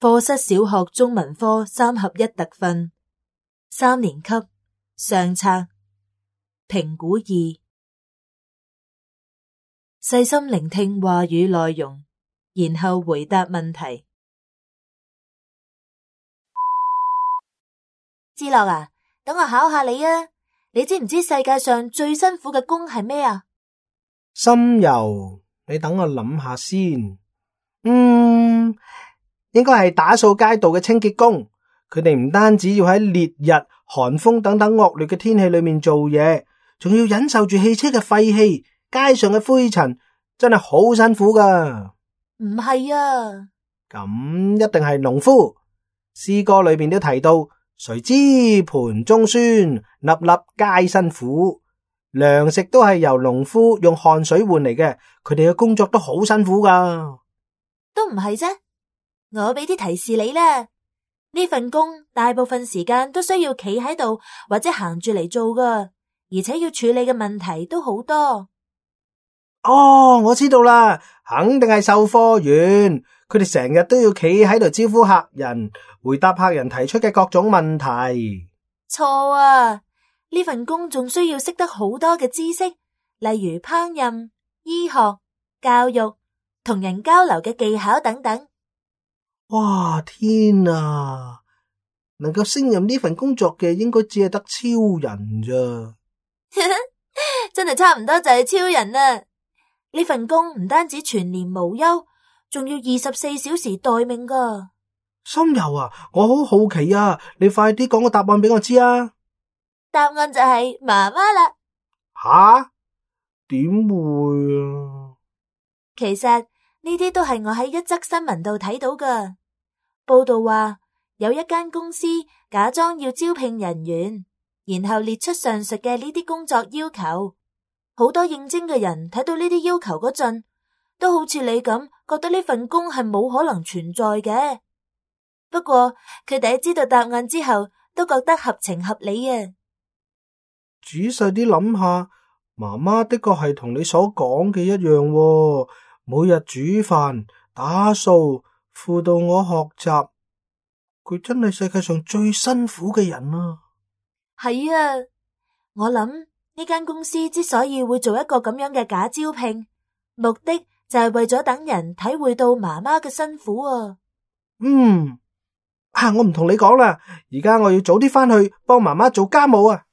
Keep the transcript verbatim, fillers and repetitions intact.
課室小學中文科三合一特訓，三年級上冊，評估二。細心聆聽話語內容，然後回答問題。志樂啊，等我考下你啊，你知唔知世界上最辛苦嘅工係咩啊？心柔，你等我諗下先。嗯，應該係打掃街道嘅清潔工。佢哋唔單止要喺烈日、寒風等等惡劣嘅天氣裏面做嘢，仲要忍受住汽車嘅廢氣、街上嘅灰塵，真係好辛苦噶。唔係啊，咁一定係農夫。詩歌裏邊都提到，誰知盤中酸，粒粒皆辛苦。糧食都係由農夫用汗水換嚟嘅，佢哋嘅工作都好辛苦噶。都唔係啫，我俾啲提示你啦。呢份工大部分時間都需要企喺度或者行住嚟做噶，而且要處理嘅問題都好多。哦，我知道啦，肯定係售貨員。佢哋成日都要企喺度招呼客人，回答客人提出嘅各種問題。錯啊！呢份工仲需要識得好多嘅知識，例如烹飪、醫學、教育、同人交流嘅技巧等等。哇，天啊！能夠勝任呢份工作嘅應該只係得超人咋。真係差唔多就係超人啦！呢份工唔單止全年無休，仲要二十四小時待命噶。心柔啊，我好好奇啊，你快啲講個答案俾我知啊！答案就係媽媽啦。吓？點會啊？其實呢啲都係我喺一則新聞度睇到噶。報道話有一間公司假裝要招聘人員，然後列出上述嘅呢啲工作要求。好多應徵嘅人睇到呢啲要求嗰陣，都好似你咁覺得呢份工係冇可能存在嘅。不過佢哋喺知道答案之後，都覺得合情合理啊。仔細啲諗下，媽媽的確係同你所講嘅一樣喎，每日煮飯、打掃、輔導我學習，佢真係世界上最辛苦嘅人啊！係啊，我諗呢間公司之所以會做一個咁樣嘅假招聘，目的就係為咗等人體會到媽媽嘅辛苦啊。嗯，啊，我唔同你講啦，而家我要早啲返去幫媽媽做家務啊。